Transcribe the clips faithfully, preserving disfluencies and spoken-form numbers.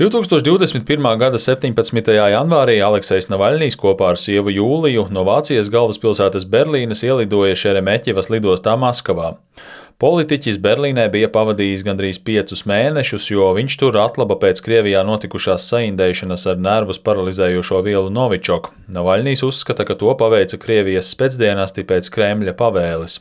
divtūkstoš divdesmit pirmā gada septiņpadsmitajā janvārī Aleksejs Navaļnijs kopā ar sievu Jūliju no Vācijas galvaspilsētas Berlīnes ielidoja Šeremeķevas lidostā Maskavā. Politiķis Berlīnē bija pavadījis gandrīz piecus mēnešus, jo viņš tur atlaba pēc Krievijā notikušās saindēšanas ar nervus paralizējošo vielu Novičok. Navaļnijs uzskata, ka to paveica Krievijas specdienesti pēc Kremļa pavēles.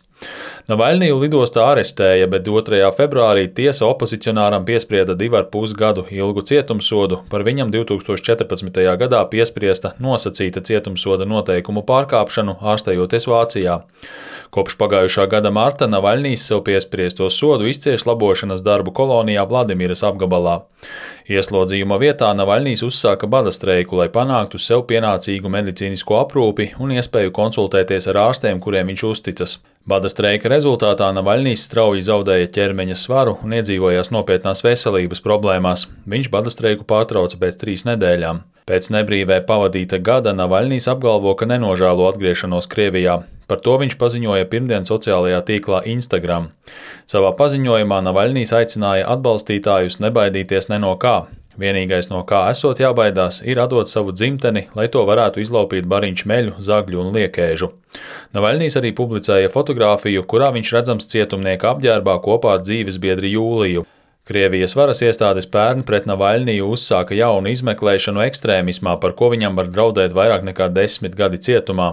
Navaļniju lidostā arestēja, bet otrajā februārī tiesa opozicionāram piesprieda divu ar pus gadu ilgu cietumsodu par viņam divtūkstoš četrpadsmitajā gadā piespriesta nosacīta cietumsoda noteikumu pārkāpšanu, ārstējoties Vācijā. Kopš pagājušā gada marta Navaļnijs sev piespriesto sodu izcieš labošanas darbu kolonijā Vladimiras apgabalā. Ieslodzījuma vietā Navaļnijs uzsāka bada streiku, lai panāktu sev pienācīgu medicīnisko aprūpi un iespēju konsultēties ar ārstiem, kuriem viņš uzticas. Bada streika rezultātā Navaļnijs strauji zaudēja ķermeņa svaru un iedzīvojās nopietnās veselības problēmās. Viņš bada streiku pārtrauca pēc trīs nedēļām. Pēc nebrīvē pavadīta gada Navaļnijs apgalvo, ka nenožēlo atgriešanos Krievijā. Par to viņš paziņoja pirmdien sociālajā tīklā Instagram. Savā paziņojumā Navaļnijs aicināja atbalstītājus nebaidīties ne no kā. Vienīgais, no kā esot jābaidās, ir atdot savu dzimteni, lai to varētu izlaupīt bariņš meļu, zagļu un liekēžu. Navaļnijs arī publicēja fotogrāfiju, kurā viņš redzams cietumnieka apģērbā kopā ar dzīvesbiedri Jūliju. Krievijas varas iestādes pērn pret Navaļniju uzsāka jaunu izmeklēšanu ekstrēmismā, par ko viņam var draudēt vairāk nekā desmit gadi cietumā.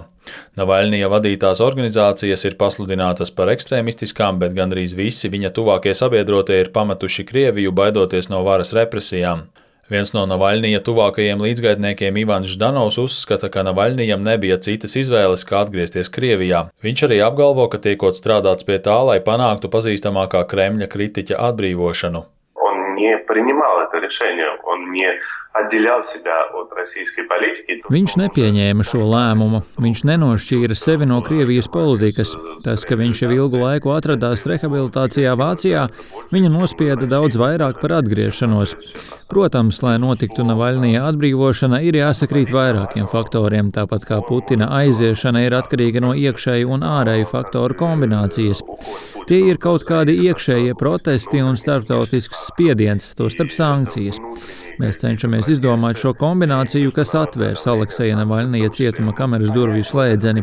Navaļnija vadītās organizācijas ir pasludinātas par ekstrēmistiskām, bet gandrīz visi viņa tuvākie sabiedrotie ir pametuši Krieviju, baidoties no varas represijām. Viens no Navaļnija tuvākajiem līdzgaitniekiem Ivans Ždanovs uzskata, ka Navaļnijam nebija citas izvēles, kā atgriezties Krievijā. Viņš arī apgalvo, ka tiekot strādāts pie tā, lai panāktu pazīstamākā Kremļa kritiķa atbrīvošanu. Viņš nepieņēma šo lēmumu, viņš nenošķīra sevi no Krievijas politikas. Tas, ka viņš jau ilgu laiku atradās rehabilitācijā Vācijā, viņu nospieda daudz vairāk par atgriešanos. Protams, lai notiktu Navaļnija atbrīvošana, ir jāsakrīt vairākiem faktoriem, tāpat kā Putina aiziešana ir atkarīga no iekšēju un ārēju faktoru kombinācijas. Tie ir kaut kādi iekšējie protesti un starptautisks spiediens, tostarp sankcijas. Mēs cenšamies izdomāt šo kombināciju, kas atvērs Alekseja Navaļnija cietuma kameras durvju slēdzeni.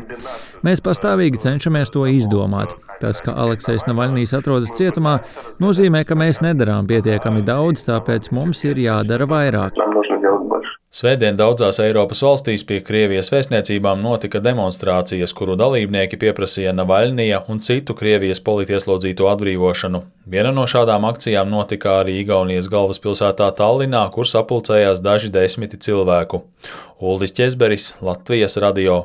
Mēs pastāvīgi cenšamies to izdomāt. Tas, ka Aleksejs Navaļnijs atrodas cietumā, nozīmē, ka mēs nedarām pietiekami daudz, tāpēc mums ir jādara vairāk. Svētdien daudzās Eiropas valstīs pie Krievijas vēstniecībām notika demonstrācijas, kuru dalībnieki pieprasīja Navaļnija un citu Krievijas politieslodzīto atbrīvošanu. Viena no šādām akcijām notika arī Igaunijas galvaspilsētā Tallinā, kur sapulcējās daži desmiti cilvēku. Uldis Ķezberis, Latvijas radio.